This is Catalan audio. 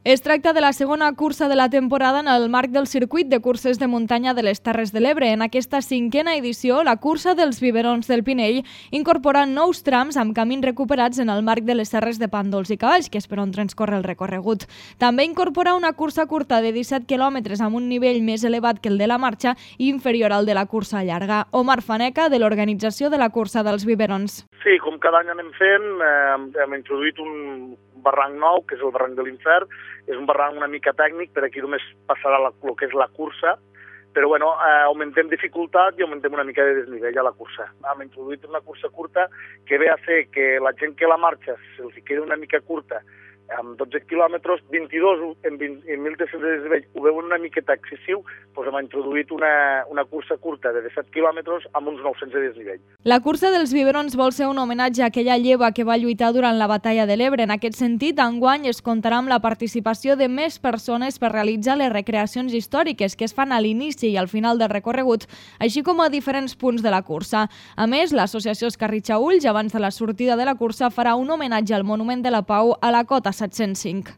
Es tracta de la segona cursa de la temporada en el marc del circuit de curses de muntanya de les Terres de l'Ebre. En aquesta cinquena edició, la cursa dels biberons del Pinell incorpora nous trams amb camins recuperats en el marc de les serres de Pàndols i Cavalls, que és per on transcorre el recorregut. També incorpora una cursa curta de 17 quilòmetres amb un nivell més elevat que el de la marxa i inferior al de la cursa llarga. Omar Faneca, de l'organització de la cursa dels biberons. Sí, com cada any anem fent, hem introduït un barranc nou, que és el barranc de l'Infern. És un barranc una mica tècnic, per aquí només passarà el que és la cursa, però bueno, augmentem dificultat i augmentem una mica de desnivell a la cursa. Hem introduït una cursa curta que ve a fer que la gent que la marxa se'ls quedi una mica curta, amb 12 quilòmetres, 22 en 1.300 de desnivell, ho veuen una miqueta excessiu, doncs hem introduït una cursa curta de 17 quilòmetres amb uns 900 de desnivell. La cursa dels biberons vol ser un homenatge a aquella lleva que va lluitar durant la batalla de l'Ebre. En aquest sentit, enguany es comptarà amb la participació de més persones per realitzar les recreacions històriques que es fan a l'inici i al final del recorregut, així com a diferents punts de la cursa. A més, l'associació Escarritxa Ulls, abans de la sortida de la cursa, farà un homenatge al Monument de la Pau a la cota 705.